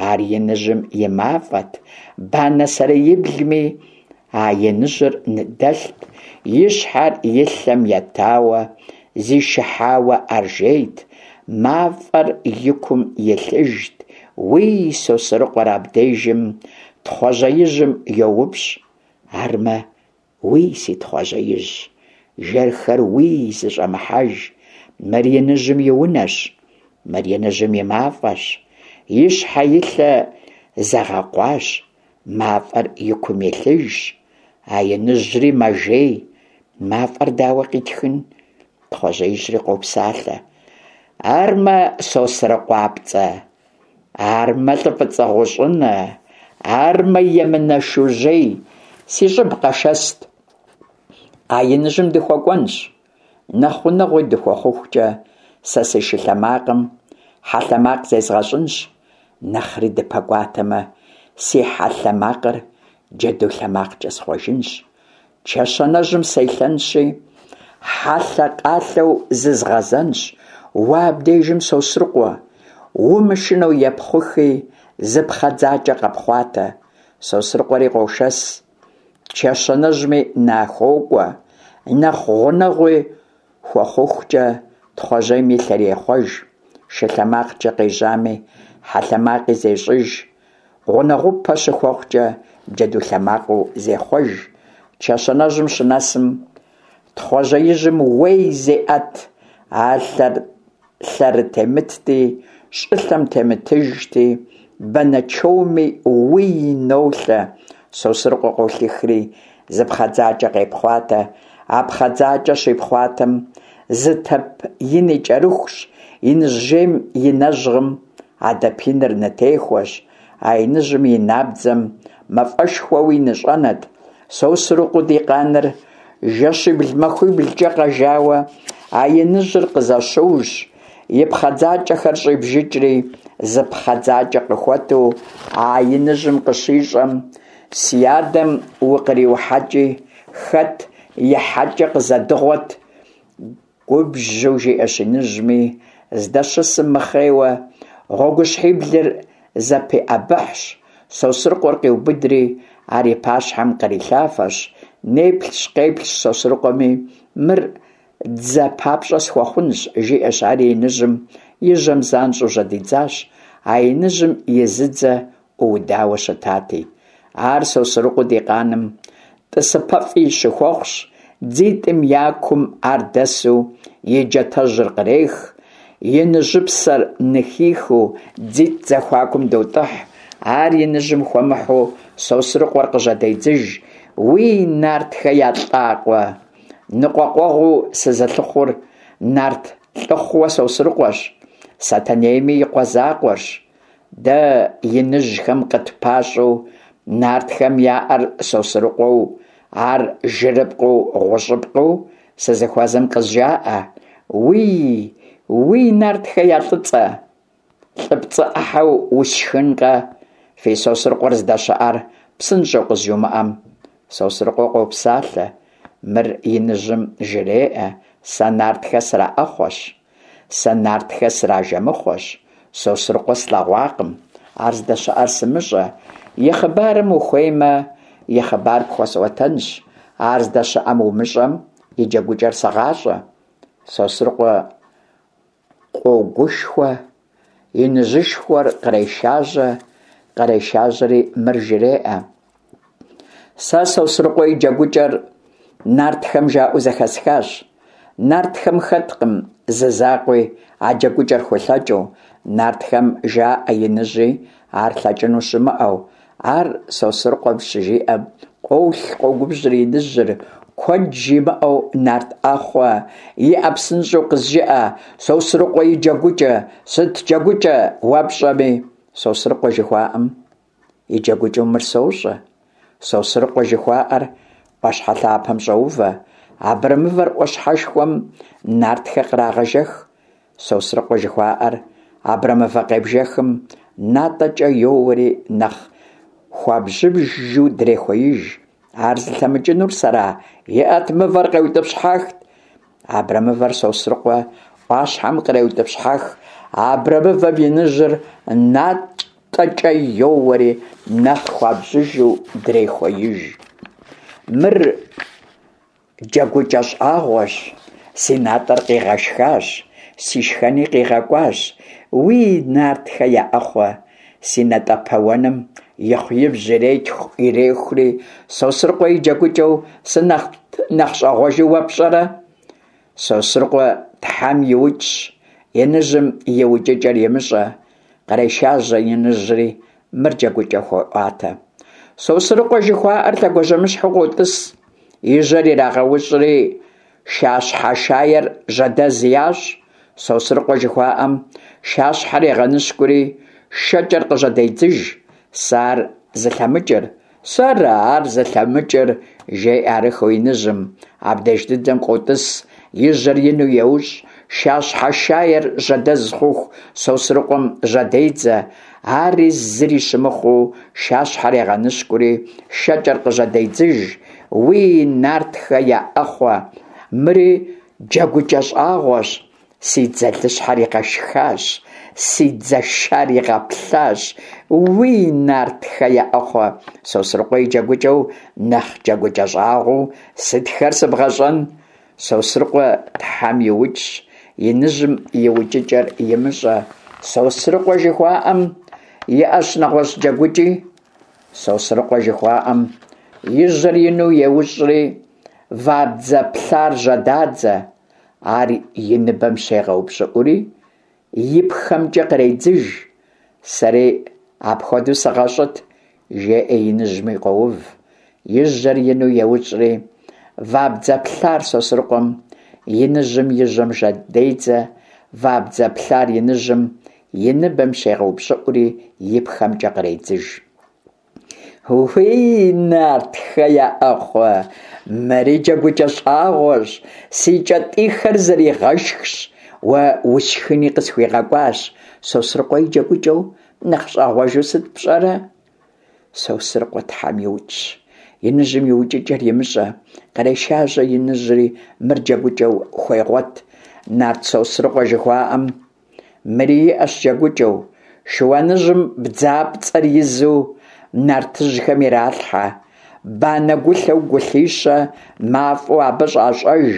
ар иныжьым и мафӀэт, банэ сэреиблми а иныжьыр дэлът, и щхьэр и лъэм етауэ, зишыхьауэ ар жейт, мафӀэр и кум илъыжт. Уий, Сосрыкъуэр абдежым Тхъуэжьеижьым йоупщӀ: «Армэ, уий, си Тхъуэжьеижь, жэрхэр уий зыщӀэмыхьэж, мыр иныжьым и унэщ, мыр иныжьым и мафӀэщ, и щхьэ и лъэ зэгъэкъуащ, мафӀэр и кум илъыжщ, а иныжьри мэжей, мафӀэр дауэ къитхын?» Тхъуэжьеижьри къопсалъэ: «Армэ, СосрыкъуапцӀэ, армэ, лӀы фӀыцӀэ гъущӀынэ, армэ, емынэ Шужьей, си щӀыб къэшэсыт, а иныжьым дыхуэкӀуэнщ, нэхъ гъунэгъуи дыхуэхъухукӀэ сэ си шы лъэмакъым хьэ лъэмакъ зезгъэщӀынщ, нэхъри дыпэкӀуатэмэ, си хьэ лъэмакъыр джэду лъэмакъкӀэ схъуэжынщ, чэщанэжьым селъэнщи, хьэлъэ-къалъэу зызгъэзэнщ, уэ абдежым, Сосрыкъуэ, умышынэу епхъухи, зы пхъэдзакӀэ къэпхъуатэ». Сосрыкъуэри къошэс, чэщанэжьми нахуокӀуэ, нэхъ гъунэгъуи хуэхъухукӀэ Тхъуэжьейм и лъэр ехъуэж, шы лъэмакъкӀэ къежьами, хьэ лъэмакъи зещӀыж, гъунэгъупэ щыхуэхъукӀэ джэду лъэмакъыу зехъуэж. Чэщанэжьым щынэсым, Тхъуэжьеижьым уей зеӀэт, ар лъэрытемытти, щӀылъэм темытыжти, банэчоуми уий нолъэ. Сосрыкъуэ къолъыхри зы пхъэдзакӀэ къепхъуатэ, а пхъэдзакӀэр щипхъуатэм зы тэп ини кӀэрыхущ, иныжь жейм и нэжьгъым а дэп иныр нытехуэщ, а иныжьым и набдзэм мафӀэшхуэуи ныщӀэнэт. Сосрыкъуэу ди къаныр жэщибл-махуиблкӀэ къэжауэ, а иныжьыр къызэщыущ, и пхъэдзакӀэхэр щӀибжыкӀри, зы пхъэдзакӀэ къыхуэту а иныжьым къыщищӀэм, «Си адэм укъриухьэкӀи, хэт и хьэкӀэ къызэдыгъуэт», губжьу жиӀэщ иныжьми, здэщысым мыхъейуэ, гъуэгущхьиблыр зэпиӀэбыхьщ, Сосрыкъуэр къиубыдри, ар и пащхьэм кърилъафэщ, неплъщ-къеплъщ Сосрыкъуэми, «Мыр дзэ папщӀэ схуэхъунщ», жиӀэщ, ари иныжьым и жьэм занщӀэу жьэдидзащ, а иныжьым и зы дзэ Ӏуудауэ щытати. Ар Сосрыкъуэу ди къаным тӀысыпӀэфӀи щыхуэхъущ, дзитӀым я кум ар дэсу и джатэжьыр кърех, иныжьыпсэр ныхихыу дзитӀ зэхуакум дотӀыхь. Ар иныжьым хуэмыхьу Сосрыкъуэр къыжьэдедзыж: «Уий, нартхэ я лӀакъуэ ныкъуэкъуэгъуу сызылъыхъур нарт лӀыхъууэ Сосрыкъуэщ, Сэтэнейми и къуэ закъуэрщ. Дэ иныжьхэм къытпащӀэу нартхэм яӀэр Сосрыкъуэу, ар жырыпкъыу гъущӀыпкъыу сызыхуэзэм къызжаӀэ. Уий, уий, нартхэ я лӀыцӀэ, лӀыпцӀэ Ӏыхьэу усшхынкъэ, фи Сосрыкъуэр здэщыӀэр псынщӀэу къызжумыӀэм». Сосрыкъуэ къопсалъэ, мыр иныжьым жреӀэ: «Сэ нартхэ сраӀэхъуэщ, сэ нартхэ сражэмыхъуэщ, Сосрыкъуэ слъэгъуакъым, ар здэщыӀэр сымыщӀэ. И хъыбарым ухуеймэ, и хъыбар пхуэсӀуэтэнщ, ар здэщыӀэм умыщӀэм, и джэгукӀэр сыгъащӀэ». Сосрыкъуэ къогушхуэ, иныжьышхуэр кърешажьэ, кърешажьэри мыр жреӀэ: «Сэ Сосрыкъуэ и джэгукӀэр нартхэм жаӀэу зэхэсхащ. Нартхэм хэткъым зы закъуи а джэгукӀэр хулъэкӀыу. Нартхэм жаӀэ иныжьи ар лъэкӀыну щымыӀэу». Ар Сосрыкъуэм щыжиӀэм, къолъ, къогубжьри иныжьыр: «Куэд жимыӀэу нарт Ӏэхъуэ, иӀэ псынщӀэу къызжыӀэ Сосрыкъуэ и джэгукӀэ, сыт джэгукӀэ уэ пщӀэми». Сосрыкъуэ жыхуаӀэм и джэгукӀэу мыр сощӀэ. Сосрыкъуэ жыхуаӀэр Ӏуащхьэ лъапэм щӀоувэ, абрэмывэр Ӏуащхьэшхуэм нартхэ кърагъэжэх. Сосрыкъуэ жыхуаӀэр абрэмывэ къебжэхым натӀэкӀэ йоуэри нэхъ хуабжьыжу дрехуеиж. Ар зылъэмыкӀынур сэра? ИӀэт, мывэр къеутӀыпщхьэхт. Абрэмывэр Сосрыкъуэ Ӏуащхьэм къреутӀыпщхьэх, абрэмывэм иныжьыр натӀэкӀэ йоуэри нэхъ хуабжьыжу дрехуеиж. Мыр джэгукӀэ щӀагъуэщ, си натӀэр къигъэшхащ, си шхэни къигъэкӀуащ. Уий, нартхэ я Ӏэхъуэ, си натӀэпэуэным ихъу-ибжь ирехури, Сосрыкъуэ и джэгукӀэу сыт нэхъ щӀагъуэжу уэ пщӀэрэ? Сосрыкъуэ тхьэм иукӀщ, иныжьым и укӀыкӀэр имыщӀэ. Кърешажьэ иныжьри, мыр джэгукӀэ хуеӀуатэ: Сосрыкъуэ жыхуаӀэр лъэгуажьэмыщхьэу къотӀыс, и жьэр ирагъэущӀри шащхьэ шаер жьэдэз ящӀ. Сосрыкъуэ жыхуаӀэм шащхьэр егъэныщкӀури шэкӀэр къыжьэдедзыж. Сэ ар зылъэмыкӀыр, сэра ар зылъэмыкӀыр, жеӀэ арыххэу иныжьым. Абдеж дыдэм къотӀыс, и жьэр ину еущӀ, шащхьэ шаер жьэдэз хъуху Сосрыкъуэм жьэдедзэ. Ари зыри щымыхъуу, шащхьэр егъэныщкӀури шэкӀэр къыжьэдедзыж. Уий, нартхэ я Ӏэхъуэ, мыри джэгукӀэ щӀагъуэщ, си дзэлыщхьэр игъэшхащ, си дзэ шар игъэплъащ. Уий, нартхэ я Ӏэхъуэ, Сосрыкъуэ и джэгукӀэу нэхъ джэгукӀэ щӀагъуэу сытхэр сыбгъэщӀэн? Сосрыкъуэ тхьэм иукӀщ, иныжьым и укӀыкӀэр имыщӀэ. Сосрыкъуэ жыхуаӀэм иӀэщ нэгъуэщӀ джэгукӀи. Сосрыкъуэ жыхуаӀэм и жьэр ину еущӀри вабдзэ плъар жьэдадзэ. Ар и ныбэм щегъэупщӀыӀури и пхэмкӀэ къредзыж. Сэри апхуэдэу сыгъэщӀыт, жеӀэ иныжьми къоув. И жьэр ину еущӀри вабдзэ плъар Сосрыкъуэм иныжьым и жьэм жьэдедзэ. Вабдзэ плъар иныжьым и ныбэм щегъэупщӀыӀури и пхэмкӀэ къредзыж. Уий, нартхэ я Ӏэхъуэ, мыри джэгукӀэ щӀагъуэщ, си кӀэтӀийхэр зэригъэшхщ, уэ усшхыни къысхуигъэкӀуащ. Сосрыкъуэ и джэгукӀэу нэхъ щӀагъуэжу сыт пщӀэрэ? Сосрыкъуэ тхьэм иукӀщ, иныжьым и укӀыкӀэр имыщӀэ. Кърешажьэ иныжьри, мыр джэгукӀэу хуегъуэт. Нарт Сосрыкъуэ жыхуаӀэм мыри иӀэщ джэгукӀэу: шыуаныжьым бдзапцӀэр изу нартыжьхэм иралъхьэ, банэ гулъэу гулъищэ мафӀэу абы щӀащӀэж.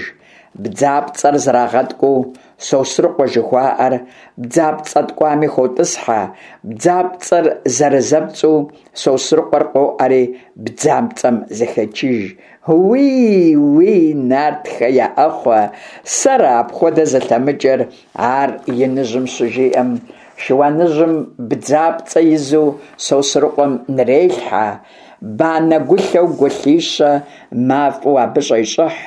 Бдзапцӏэр зэрагъэткӏуу Сосрыкъуэ жыхуаӏэр бдзапцӏэ ткӏуами хотӏысхьэ. Бдзапцӏэр зэрызэпцӏу, Сосрыкъуэр къоӏэри бдзапцӏэм зыхечыж. Уий, уий, нартхэ я ӏэхъуэ, сэра апхуэдэ зылъэмыкӏыр? Ар иныжьым щыжиӏэм, шыуаныжьым бдзапцӏэ изу Сосрыкъуэм нырелъхьэ, банэ гулъэу гулъищэ мафӏэу абы щӏещӏыхь.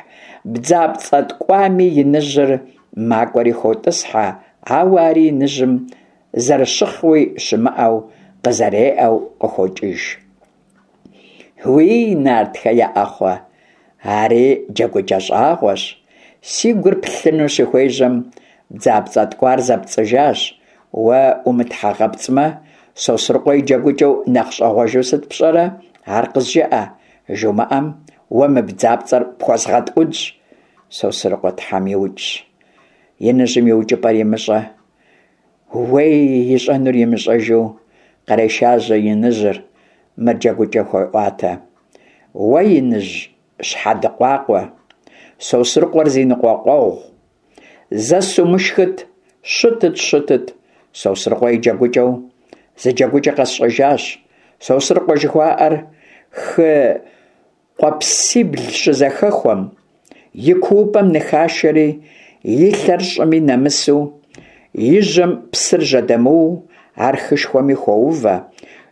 Бдзапцӏэ ткӏуами иныжьыр макӏуэри хотӏысхьэ, ауэ ари иныжьым зэрыщыхъуи щымыӏэу, къызэреӏэу къыхокӏыж. Уий, нартхэ я ӏэхъуэ, ари джэгукӏэ щӏагъуэщ. Си гур плъыну щыхуежьэм, бдзапцӏэ ткӏуар зэпцӏыжащ. Уэ умытхьэгъэпцӏмэ, Сосрыкъуэ и джэгукӏэу нэхъ щӏэгъуэжу сыт пщӏэрэ? Ар къызжыӏэ. Жумыӏэм, уэ мы бдзапцӏэр пхуэзгъэткӏунщ. Сосрыкъуэ тхьэм иукӏщ. Иныжьым и укӏыпӏэр имыщӏэ, уей, ищӏэнур имыщӏэжу, кърешажьэ иныжьыр, мыр джэгукӏэ хуеӏуатэ. Уэ иныжь щхьэдыкъуакъуэ, Сосрыкъуэр зи ныкъуэкъуэгъу, зэ сумышхыт, щытыт, щытыт, Сосрыкъуэ и джэгукӏэу зы джэгукӏэ къэсщӏэжащ. Сосрыкъуэ жыхуаӏэр хы къуэпсибл щызэхэхуэм, и куупӏэм ныхашэри, и лъэр щӏыми нэмысу, и жьэм псыр жьэдэмыу, ар хышхуэми хоувэ.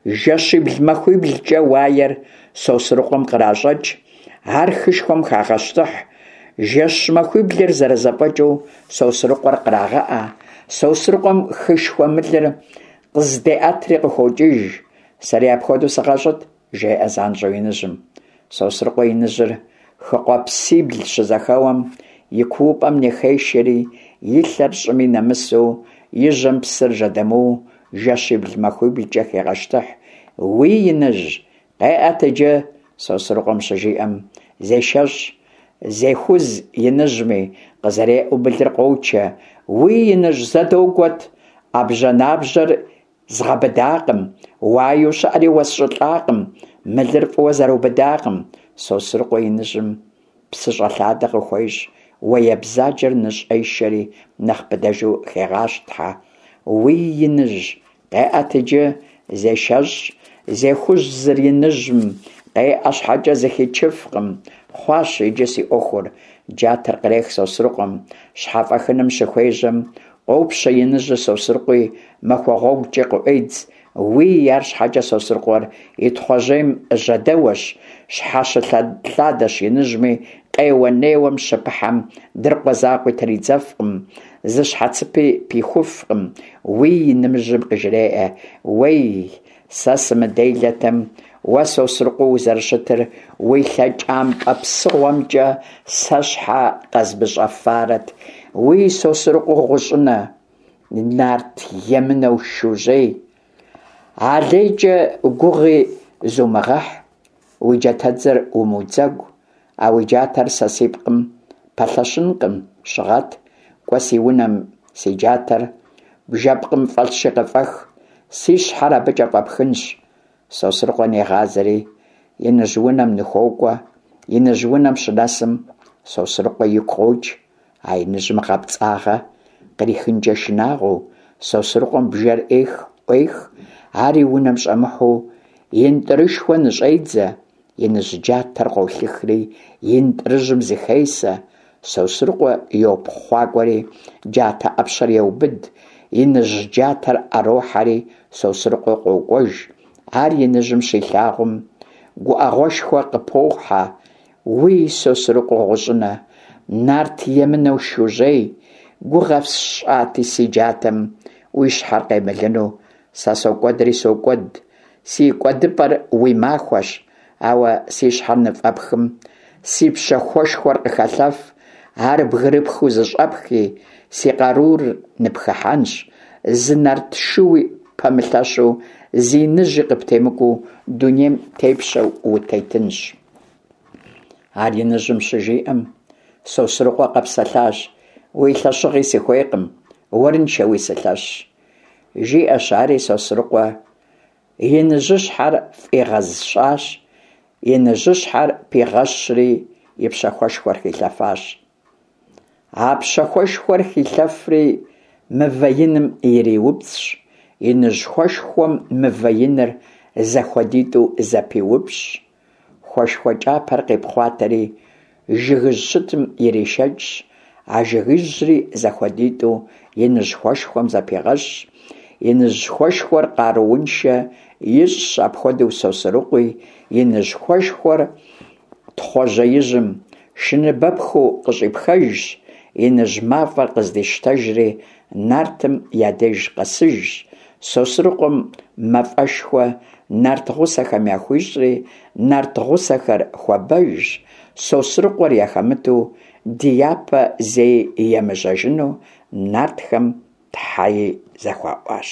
Жэщибл-махуиблкӏэ уаер Сосрыкъуэм къращӏэкӏ, ар хышхуэм хагъэщтыхь. Жэщ-махуиблыр зэрызэфӏэкӏыу Сосрыкъуэр кърагъэӏэ. Сосрыкъуэм хышхуэ мылыр къыздеӏэтри къыхокӏыж. Сэри апхуэдэу сыгъэщӏыт, жеӏэ занщӏэу иныжьым. Сосрыкъуэ иныжьыр хы къуэпсибл щызэхэуэм и куупӏэм ныхешэри, и лъэр щӏыми нэмысу, и жьэм псыр жьэдэмыу, жэщибл-махуиблкӏэ хегъэщтыхь. Уий, иныжь, къеӏэт иджы, Сосрыкъуэм щыжиӏэм, зешэщӏ, зехуз иныжьми, къызэреӏэу мылыр къочэ. Уий, иныжь, зэ догуэт, ӏэбжьанэбжьэр згъэбыдакъым, уаеу щыӏэри уэсщӏылӏакъым, мылыр фӏыуэ зэрыубыдакъым. Сосрыкъуэ иныжьым псыщӏэлъадэ къыхуещӏ, уае бзаджэр ныщӏешэри нэхъ быдэжу хегъащтхьэ. Уий, иныжь, къеӏэт иджы, зешэщӏ, зехузыр иныжьым, къеӏэ щхьэкӏэ зыхичыфкъым. Хъуащ иджы си ӏуэхур. Джатэр кърех Сосрыкъуэм, щхьэфӏэхыным щыхуежьэм, къопщэ иныжьыр Сосрыкъуи, махуэ гъуэгукӏи къыӏуедз. Уий, арщхьэкӏэ Сосрыкъуэр и Тхъуэжьейм жьэдэуэщ, щхьэщылъадэщ иныжьми, къеуэ-неуэм щыпыхьэм, дыркъуэ закъуи тридзэфкъым, зы щхьэцыпи пихуфкъым. Уий, иныжьым къыжреӏэ: Уей, сэ сымыделэтэм, уэ Сосрыкъуэу узэрыщытыр уи лъэкӏампӏэ псыгъуэмкӏэ сэ щхьэ къэзмыщӏэфарэт. Уий, Сосрыкъуэу гъущӏынэ, нарт емынэу шужьей, алейкӏэ гугъи зумыгъэхь, уи джатэдзэр умыудзэгу, а уи джатэр сэ си пкъым пэлъэщынкъым, щыгъэт, кӏуэ си унэм си джатэр бжэпкъым фӏэлъщи къыфӏэх, си щхьэр абыкӏэ фӏэпхынщ. Сосрыкъуэ негъазэри иныжь унэм ныхуокӏуэ. Иныжь унэм щынэсым, Сосрыкъуэ игу къокӏ, а иныжьым гъэпцӏагъэ кърихынкӏэ шынагъуэу, Сосрыкъуэм бжэр ӏех, ӏуех, ари унэм щӏэмыхьэу ентӏырышхуэ ныщӏедзэ. Иныжь джатэр къолъыхри ентӏырыжьым зыхесэ. Сосрыкъуэ йопхъуакӏуэри джатэ ӏэпщэр еубыд, иныжь джатэр ӏэрохьэри Сосрыкъуэ къокӏуэж. Ар иныжьым щилъагъум, гуӏэгъуэшхуэ къыпохьэ. Уий, Сосрыкъуэ гъущӏынэ, нарт емынэу шужьей, гугъэ сщӏати си джатэм уи щхьэр къемылыну, сэ сокӏуэдри сокӏуэд, си кӏуэдыпӏэр уи махуэщ, ауэ си щхьэр ныфӏэпхым, си пщэхуэшхуэр къыхэлъэф, ар бгырыпхыу зыщӏэпхи, си къарур ныпхыхьэнщ, зы нарт шууи пэмылъэщу, зы иныжьи къыптемыкӏуэу дунейм тепщэу утетынщ. Ар иныжьым щыжиӏэм, Сосрыкъуэ къэпсэлъащ: Уи лъэщыгъи сыхуейкъым, уэрыншэуи сылъэщщ. Жиӏэщ ари Сосрыкъуэ иныжьыщхьэр фӏигъэщӏащ, иныжьыщхьэр пигъэщри и пщэхуэшхуэр хилъэфащ. А пщэхуэшхуэр хилъэфри мывэ иным ириупцӏщ, иныжь хуэшхуэм мывэ иныр зэхуэдитӏу зэпиупщӏщ, хуэшхуэ кӏапэр къипхъуатэри жыгыжь щытым иришэкӏщ, а жыгыжьри зэхуэдитӏу иныжь хуэшхуэм зэпигъэщӏщ, иныжь хуэшхуэр къарууншэ ищӏщ апхуэдэу Сосрыкъуи, иныжь хуэшхуэр Тхъуэжьеижьым шыныбэпхыу къыщӏипхэжщ, иныжь мафӏэр къыздищтэжри нартым я деж къэсыжщ, Сосрыкъуэм мафӏэшхуэ нарт гъусэхэм яхуищӏри, нарт гъусэхэр хуэбэжщ, Сосрыкъуэр яхэмыту ди япэ зэи емыжьэжыну нартхэм тхьэи зэхуаӏуащ.